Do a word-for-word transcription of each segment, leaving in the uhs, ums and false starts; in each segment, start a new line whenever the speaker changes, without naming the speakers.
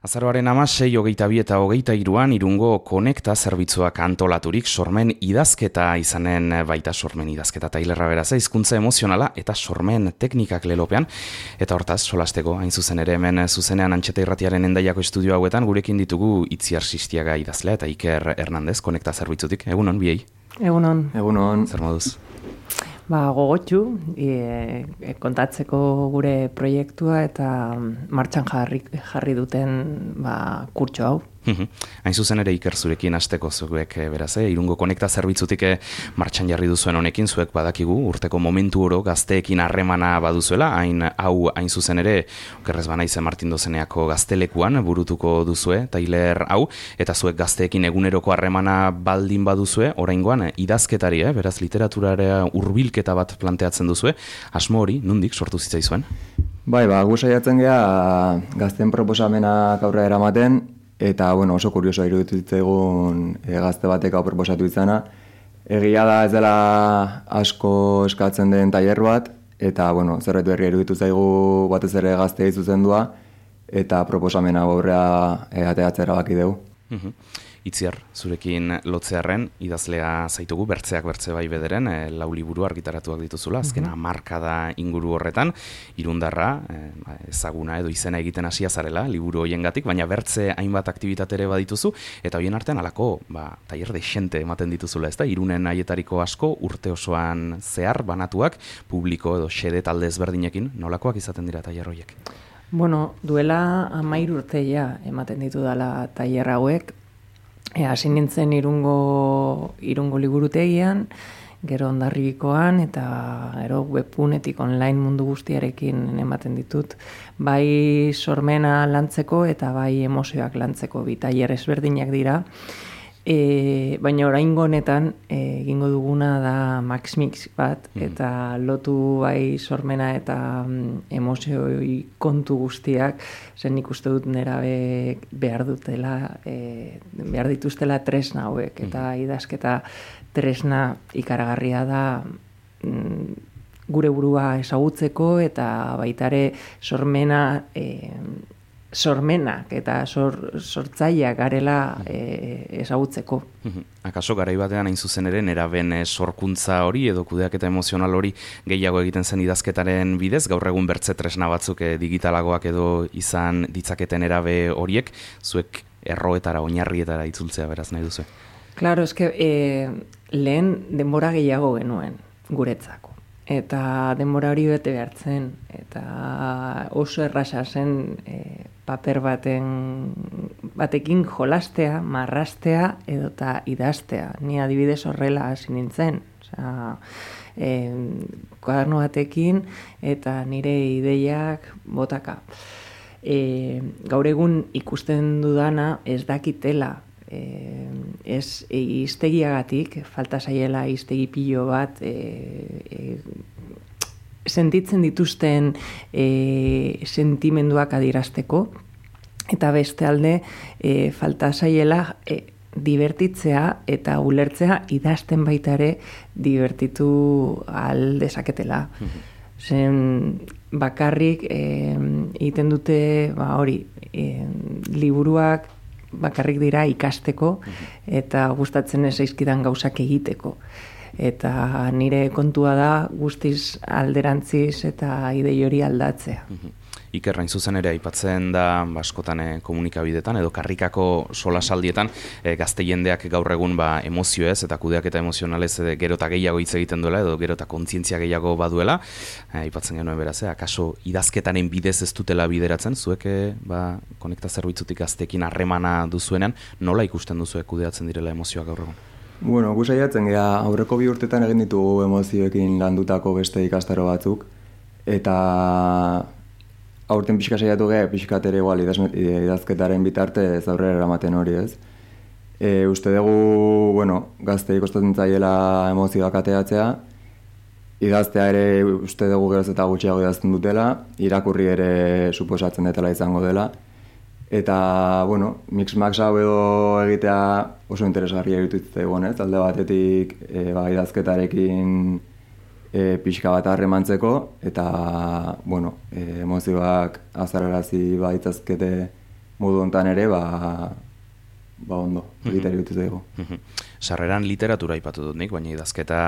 Azaroaren hamasei, hogeita bi eta hogeita hiruan Irungo Konekta zerbitzuak antolaturik sormen idazketa izanen baita sormen idazketa tailerra beraz, hizkuntza emozionala eta sormen teknikak lelopean. Eta hortaz, solasteko, hain zuzen ere hemen zuzenean Antxeta Irratiaren Hendaiako estudio hauetan gurekin ditugu Itziar Sistiaga idazlea eta Iker Hernandez Konekta zerbitzutik. Egunon, biei?
Egunon.
Egunon.
Zer moduz?
Ba, gogotxu, e, e, kontatzeko gure proiektua eta martxan jarri, jarri duten ba, kurtso hau.
Hain zuzen ere Iker zurekin hasteko zuek beraz, eh? Irungo Konekta zerbitzutik martxan jarri duzuen honekin, zuek badakigu urteko momentu oro gazteekin harremana baduzuela, hain hau hain zuzen ere, okerrez banaiz Martin Dozeneako gaztelekuan burutuko duzue, tailer hau, eta zuek gazteekin eguneroko harremana baldin baduzue, oraingoan idazketari, eh? Beraz literaturara hurbilketa bat planteatzen duzue, asmo hori nondik sortu zitzaizuen?
Bai, ba, gu saiatzen gea gazten proposamenak aurrera eramaten, eta bueno, oso kuriosoa iruditu zitzaigun e, gazte batek hau proposatu izana. Egia da ez dela asko eskatzen den tailer bat, eta bueno, zerbait berria iruditu zaigu batez ere gazteei zuzendua, eta proposamena aurrera e, ateratzera baki dugu.
Itziar, zurekin lotzearren, idazlea zaitugu, bertzeak bertze bai bederen, e, lau liburu argitaratuak dituzula, azkena markada inguru horretan, Irundarra, e, ezaguna edo izena egiten hasia zarela, liburu hoiengatik, baina bertze hainbat aktibitate ere badituzu, eta hoien artean alako, ba, tailer dexente ematen dituzula, ezta? Irunen haietariko asko, urte osoan zehar, banatuak, publiko edo xede talde ezberdinekin, nolakoak izaten dira tailer hoiek?
Bueno, duela hamairu urteia ematen ditu dela tailer hauek, E, hasi nintzen irungo, irungo liburutegian, gero Hondarribikoan eta gero webgunetik online mundu guztiarekin ematen ditut. Bai sormena lantzeko eta bai emozioak lantzeko bi tailer ezberdinak dira. E, baina oraingo honetan e, egingo duguna da Max Mix bat, eta lotu bai sormena eta mm, emozioi kontu guztiak, zen nik uste dut nerabe behar dutela, e, behar dituztela tresna hauek, eta idazketa tresna ikaragarria da mm, gure burua ezagutzeko eta baitare sormena e, sormenak eta sor, sortzaileak garela e, ezagutzeko.
Akaso garai batean hain zuzen ere neraben sorkuntza hori edo kudeaketa emozional hori gehiago egiten zen idazketaren bidez, gaur egun bertze tresna batzuk e, digitalagoak edo izan ditzaketen nerabe horiek, zuek erroetara, oinarrietara itzultzea beraz nahi duzu?
Claro, eske e, lehen denbora gehiago genuen guretzako. Eta denbora hori bete behartzen, eta oso erraza zen e, paper baten, batekin jolastea, marrastea edota idaztea. Ni adibidez horrela hasi nintzen. Osea, e, kuaderno batekin eta nire ideiak botaka. E, gaur egun ikusten dudana ez dakitela, e, ez e, iztegiagatik, falta zaiela iztegi pilo bat, e, e, sentitzen dituzten e, sentimenduak adierazteko, eta beste alde e, falta zaiela e, divertitzea eta ulertzea idazten baita ere divertitu ahal dezaketela. Zen bakarrik e, egiten dute ba, hori, e, liburuak bakarrik dira ikasteko eta gustatzen ez zaizkidan gauzak egiteko. Eta nire kontua da guztiz alderantziz eta idei hori aldatzea.
Iker, hain zuzen ere aipatzen da askotan e, komunikabidetan edo karrikako solasaldietan e, gazte jendeak gaur egun ba, emozioez eta kudeaketa emozionalez e, gero eta gehiago hitz egiten duela edo gero eta kontzientzia gehiago baduela. E, aipatzen genuen beraz, e, akaso idazketaren bidez ez dutela bideratzen, zuek e, ba, Konekta zerbitzutik gazteekin harremana duzuenean, nola ikusten duzuek kudeatzen direla emozioak gaur egun?
Bueno, gu saiatzen gea aurreko bi urtetan egin ditugu emozioekin landutako beste ikastaro batzuk, eta aurten pixka saiatu geha, pixkat ere igual idazketaren bitartez aurrera eramaten hori ez. E, uste dugu, bueno, gaztei kostatzen zaiela emozioak ateatzea, idaztea ere uste dugu geroz eta gutxiago idazten dutela, irakurri ere suposatzen detela izango dela, eta, bueno, mix-max hau edo egitea oso interesgarria iruditzen egon, ez? Alde batetik e, ba, idazketarekin e, pixka bat harremantzeko, eta, bueno, e, emozioak azararazi baitzazkete modu hontan ere, ba, ba ondo, egitari dut dugu.
Sarreran literatura aipatu dut nik, baina idazketa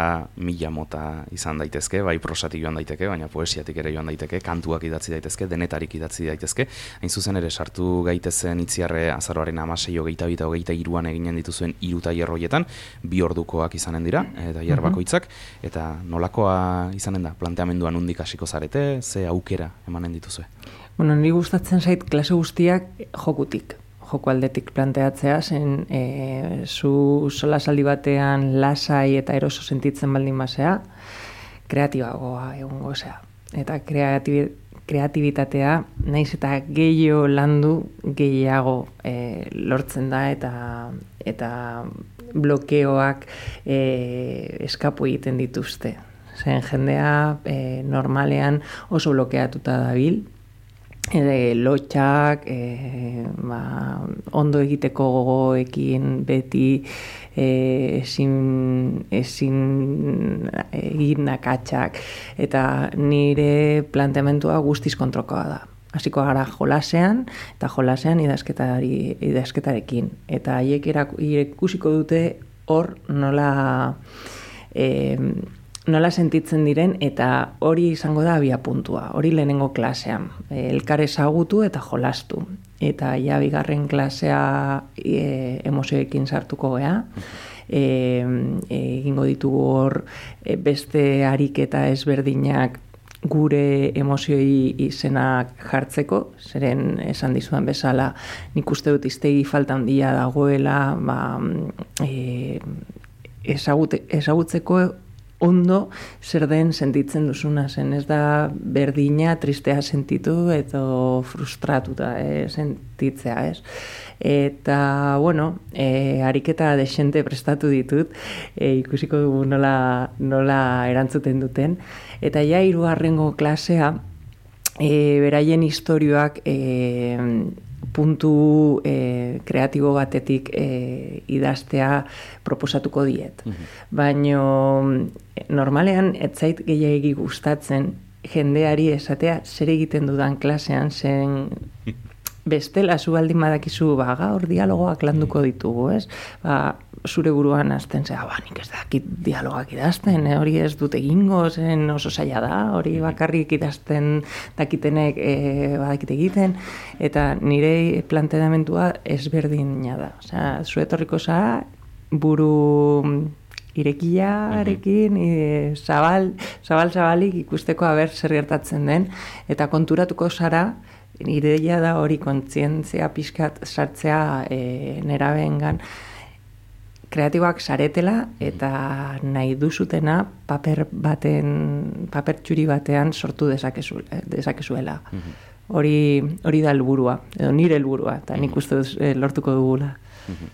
mila mota izan daitezke, bai prosatik joan daiteke, baina poesiatik ere joan daiteke, kantuak idatzi daitezke, denetarik idatzi daitezke. Hain zuzen ere sartu gaitezen Itziarre azaroaren hamasei hogeita bi eta hogeita hiruan eginen dituzuen hiru tailer horietan, bi ordukoak izanen dira, tailer bakoitzak, eta nolakoa izanen da, planteamendua nondik hasiko zarete, ze aukera emanen dituzue?
Bueno, niri gustatzen zait klase guztiak jokutik. Joko aldetik planteatzea, zen e, zu solasaldi batean lasai eta eroso sentitzen baldin basea, kreatibagoa egongo zea. Eta kreatibi, kreatibitatea, naiz eta gehiago landu, gehiago e, lortzen da eta eta blokeoak e, eskapu egiten dituzte. Zen jendea e, normalean oso blokeatuta dabil, Ede, lotxak, e, ba, ondo egiteko gogoekin beti e, ezin, ezin egin akatsak, eta nire planteamentua guztiz kontrokoa da. Hasiko gara jolasean, eta jolasean idazketari, idazketarekin. Eta haiek ikusiko dute hor nola... E, nola sentitzen diren, eta hori izango da abia puntua, hori lehenengo klasean, elkar ezagutu eta jolastu. Eta ja bigarren klasea e, emozioekin sartuko gea, e, egingo ditugu hor e, beste ariketa ezberdinak gure emozioi izenak jartzeko, zeren esan dizudan bezala, nik uste dut iztegi falta handia dagoela, ba, e, ezagute, ezagutzeko ondo zer den sentitzen duzuna, zen ez da berdina tristea sentitu edo frustratuta eh, sentitzea, ez? Eta, bueno, e, ariketa desente prestatu ditut, e, ikusiko dugu nola, nola erantzuten duten, eta ja hirugarrengo klasea, e, beraien istorioak e, puntu e, kreatibo batetik e, idaztea proposatuko diet. Uh-huh. Baina normalean ez zait gehiagi gustatzen jendeari esatea zer egiten dudan klasean, zen bestela zu baldin badakizu ba, gaur dialogoak landuko ditugu, ez? Ba, zure buruan azten zea, ba, nik ez dakit dialogak idazten, eh? Hori ez dut egingo, zen oso zaila da, hori bakarrik idazten dakitenek e, badakit egiten, eta nire planteamentua ezberdina da. Osea, zu etorriko zara, buru irekiarekin, e, zabal, zabal zabalik ikusteko haber zer gertatzen den, eta konturatuko zara, ideia da hori kontzientzia pixkat sartzea e, nerabeengan kreatiboak saretela eta nahi duzutena paper baten, paper txuri batean sortu dezakezu, dezakezuela. Uh-huh. Hori, hori da helburua, edo nire helburua, eta nik uste duz e, lortuko dugula.
Uh-huh.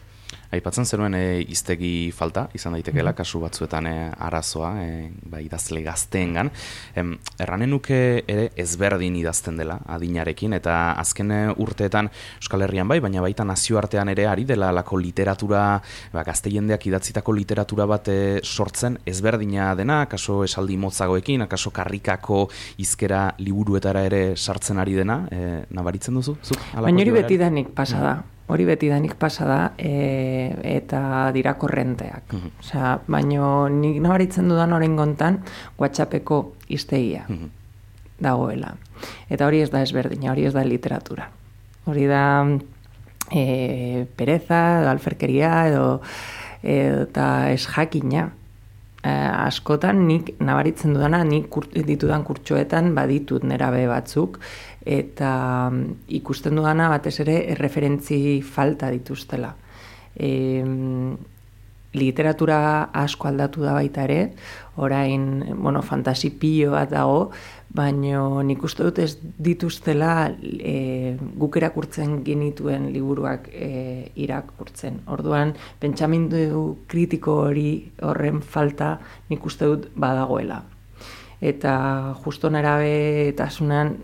Aipatzen zenuen e, iztegi falta, izan daitekeela kasu batzuetan e, arazoa, e, ba, idazle gazteengan. Em, erranen nuke ere ezberdin idazten dela adinarekin, eta azken urteetan Euskal Herrian bai, baina baita nazioartean ere ari dela lako literatura, ba, gazte jendeak idatzitako literatura bat e, sortzen ezberdina dena, akaso esaldi motzagoekin, akaso karrikako hizkera liburuetara ere sartzen ari dena, e, nabaritzen duzu? Zuk,
baina hori betidanik pasa da. Hori betidanik pasa da e, eta dira korrenteak. Uh-huh. Osea, baino nik nabaritzen dudan oraingontan WhatsAppeko hiztegia uh-huh. dagoela. Eta hori ez da ezberdina, hori ez da literatura. Hori da e, pereza, edo alferkeria, edo eta ez jakina. E, askotan nik nabaritzen dudana, nik kurt, ditudan kurtsoetan baditut nerabe batzuk, eta ikusten dudana batez ere erreferentzi falta dituztela. E, literatura asko aldatu da baita ere, orain, bueno, fantasi pilo bat dago, baina nik uste dut ez dituztela e, guk erakurtzen genituen liburuak e, irakurtzen. Orduan, pentsamendu kritiko hori horren falta nik uste dut badagoela. Eta justo nerabetasunan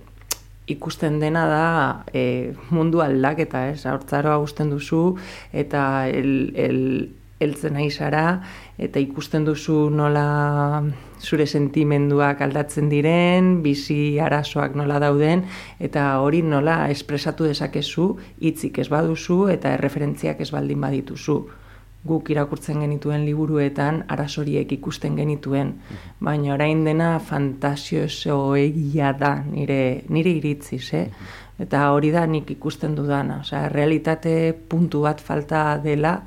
ikusten dena da e, mundu aldaketa, ez? Hortzaroa gusten duzu eta el, el heltzen nahi zara, eta ikusten duzu nola zure sentimenduak aldatzen diren, bizi arazoak nola dauden, eta hori nola espresatu dezakezu, hitzik ez baduzu, eta erreferentziak ez baldin badituzu. Guk irakurtzen genituen liburuetan arazoriek ikusten genituen, baina orain dena fantasioso egia da nire, nire iritziz, eh? Eta hori da nik ikusten dudana, osea, realitate puntu bat falta dela,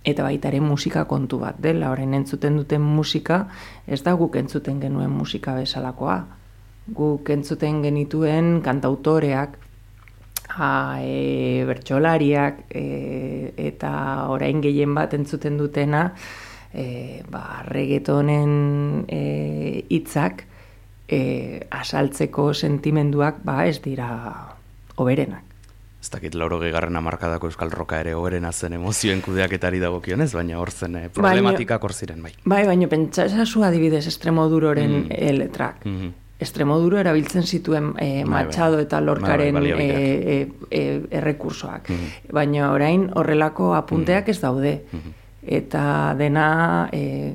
eta baita ere musika kontu bat dela, orain entzuten duten musika, ez da guk entzuten genuen musika bezalakoa. Guk entzuten genituen kantautoreak, Ha, e, bertsolariak e, eta orain gehien bat entzuten dutena e, ba, reggaetonen e, hitzak e, asaltzeko sentimenduak ba, ez dira hoberenak.
Ez dakit laurogei garren hamarkadako euskal roka ere hoberena zen emozioen kudeaketari dagokionez, baina hor zen eh, problematikak hor ziren, bai.
Bai, baina pentsa esazu adibidez Extremoduroren mm. e, letrak. Mm-hmm. Extremoduro erabiltzen zituen e, Machado eta Lorcaren e, e, e, errekursoak. Mm-hmm. Baina orain horrelako apunteak ez daude. Mm-hmm. Eta dena e,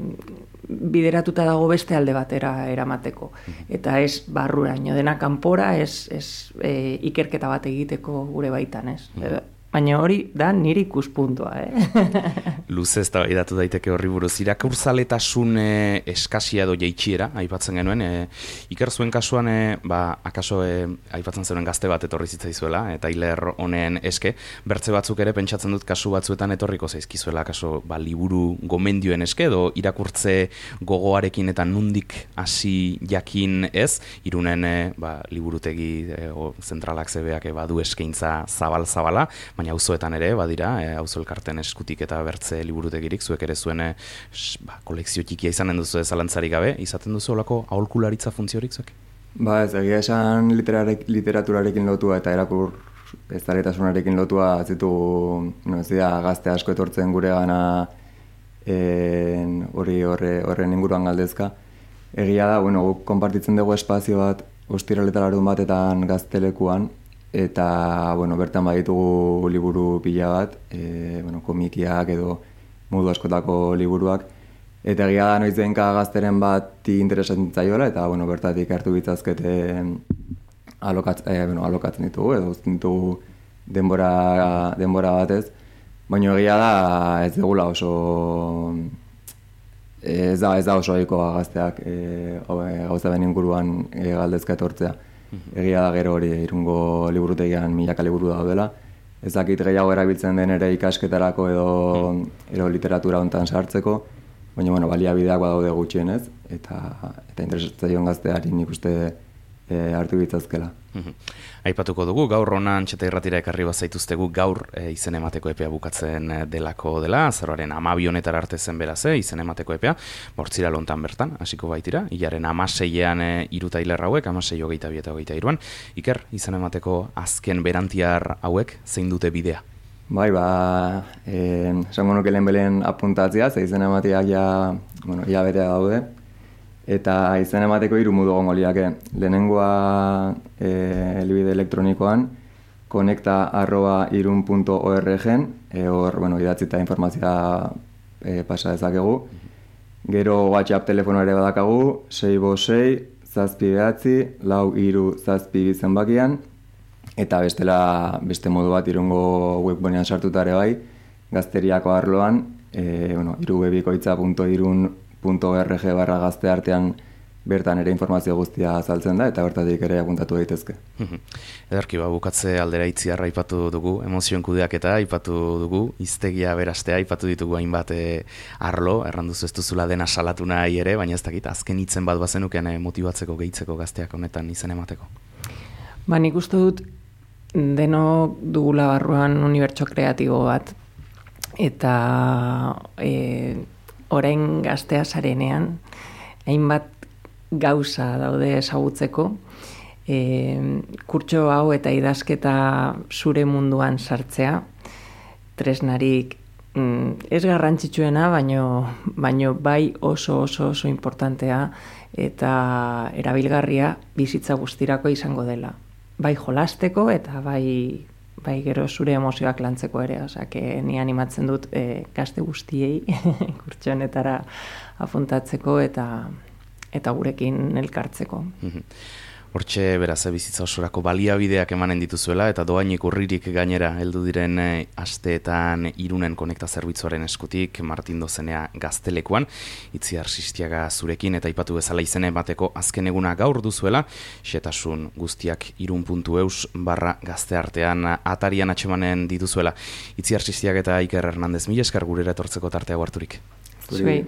bideratuta dago beste alde batera eramateko. Mm-hmm. Eta ez barruraino, dena kanpora, ez, ez e, ikerketa bat egiteko gure baitan, ez. Mm-hmm. Baina hori da nire ikuspuntua, eh?
Luze ez da edatu daiteke horri buruz. Irakurzaletasun e, eskasia edo jeitsiera, aipatzen genuen, e, Iker zuen kasuan, e, ba, akaso e, aipatzen zenuen gazte bat etorri zitzaizuela, eta hiler honen eske, bertze batzuk ere pentsatzen dut kasu batzuetan etorriko zaizkizuela, akaso ba, liburu gomendioen eske, edo irakurtze gogoarekin eta nundik hasi jakin ez, Irunen e, ba, liburutegi e, o, zentralak zebeak e, badu eskaintza zabal-zabala, baina auzoetan ere, badira, e, auzo elkarten eskutik eta bertze liburutegirik, zuek ere zuen e, ba, kolekzio txikia izanen duzu ezalantzarik gabe, izaten duzu olako aholkularitza funtziorik zuek?
Ba ez, egia esan literaturarekin lotua eta erakur eztaletasunarekin lotua zitu, no, ez dira, gazte asko etortzen gure gana hori horre, horren inguruan galdezka. Egia da, bueno, guk konpartitzen dugu espazio bat, ostiraletararun batetan gaztelekuan, eta bueno, bertan baditugu liburu pila bat, e, bueno, komikiak edo modu askotako liburuak, eta egia da noizdenka gazteren bat interesatzen zaiola, eta bueno, bertatik hartu bitzazkete alokatz, e, bueno, alokatzen ditugu, edo uzten ditugu denbora, denbora batez, baina egia da ez degula oso ez da, ez da oso ohikoa gazteak e, gauza ben inguruan e, galdezka etortzea. Egia da gero hori Irungo liburutegian milaka liburu daudela. Ez dakit gehiago erabiltzen den ere ikasketarako edo, edo literatura hontan sartzeko, baina bueno, baliabideak badaude gutxienez, eta, eta interesatzaion gazteari nik uste e, hartu bitzazkela.
Aipatuko dugu, gaur hona Antxeta Irratira ekarri bazaituztegu gaur e, izen emateko epea bukatzen delako dela, azaroaren hamabi honetara arte zen beraz, e, izen emateko epea, bortzira lontan bertan, hasiko baitira, hilaren hamaseian e, iruta hiler hauek, hamasei hogeita bi eta hogeita iruan. Iker, izen emateko azken berantiar hauek zein dute bidea?
Bai, ba, eh, esango nuke lehen belen apuntatzea, ze izen emateak ja, bueno, ja betea daude, eta izen emateko hiru modu egongo liake. Lehenengoa e, helbide elektronikoan konekta arroba irun puntu org-en, e, hor, bueno, idatzita informazioa e, pasa dezakegu. Gero WhatsApp telefono ere badakagu, sei bost sei, zazpi behatzi, lau hiru zazpi zenbakian, eta bestela beste modu bat Irungo webgunean sartuta ere bai, gazteriako arloan, e, bueno, irubebikoitza puntu irun puntu org barra gazte artean bertan ere informazio guztia azaltzen da, eta bertatik ere apuntatu daitezke.
Edarki, ba, bukatze aldera itziarra aipatu dugu, emozioen kudeaketa aipatu dugu, hiztegia berastea aipatu ditugu hainbat e, arlo, erranduzu ez duzula dena salatu nahi ere, baina ez dakit, azken hitzen bat bazenuken e, motibatzeko, gehitzeko gazteak honetan izen emateko.
Ba, nik uste dut denok dugula barruan unibertso kreatibo bat, eta e, orain gaztea zarenean, hainbat gauza daude ezagutzeko, e, kurtso hau eta idazketa zure munduan sartzea, tresnarik mm, ez garrantzitsuena, baino, baino bai oso oso oso importantea eta erabilgarria bizitza guztirako izango dela. Bai jolasteko eta bai bai gero zure emozioak lantzeko ere, osea, ni animatzen dut e, gazte guztiei kurtso honetara apuntatzeko eta eta gurekin elkartzeko.
Hortxe, beraz, bizitza osorako baliabideak emanen dituzuela, eta doainik urririk gainera heldu diren e, asteetan Irunen konekta zerbitzuaren eskutik, Martin Dozenea Gaztelekuan, Itziar Sistiaga zurekin, eta ipatu bezala izene bateko azken eguna gaur duzuela, xetasun guztiak irun puntu eus barra gazteartean atarian atxemanen dituzuela. Itziar Sistiaga eta Iker Hernandez, mila esker gurera etortzeko tartea harturik.
Zuei.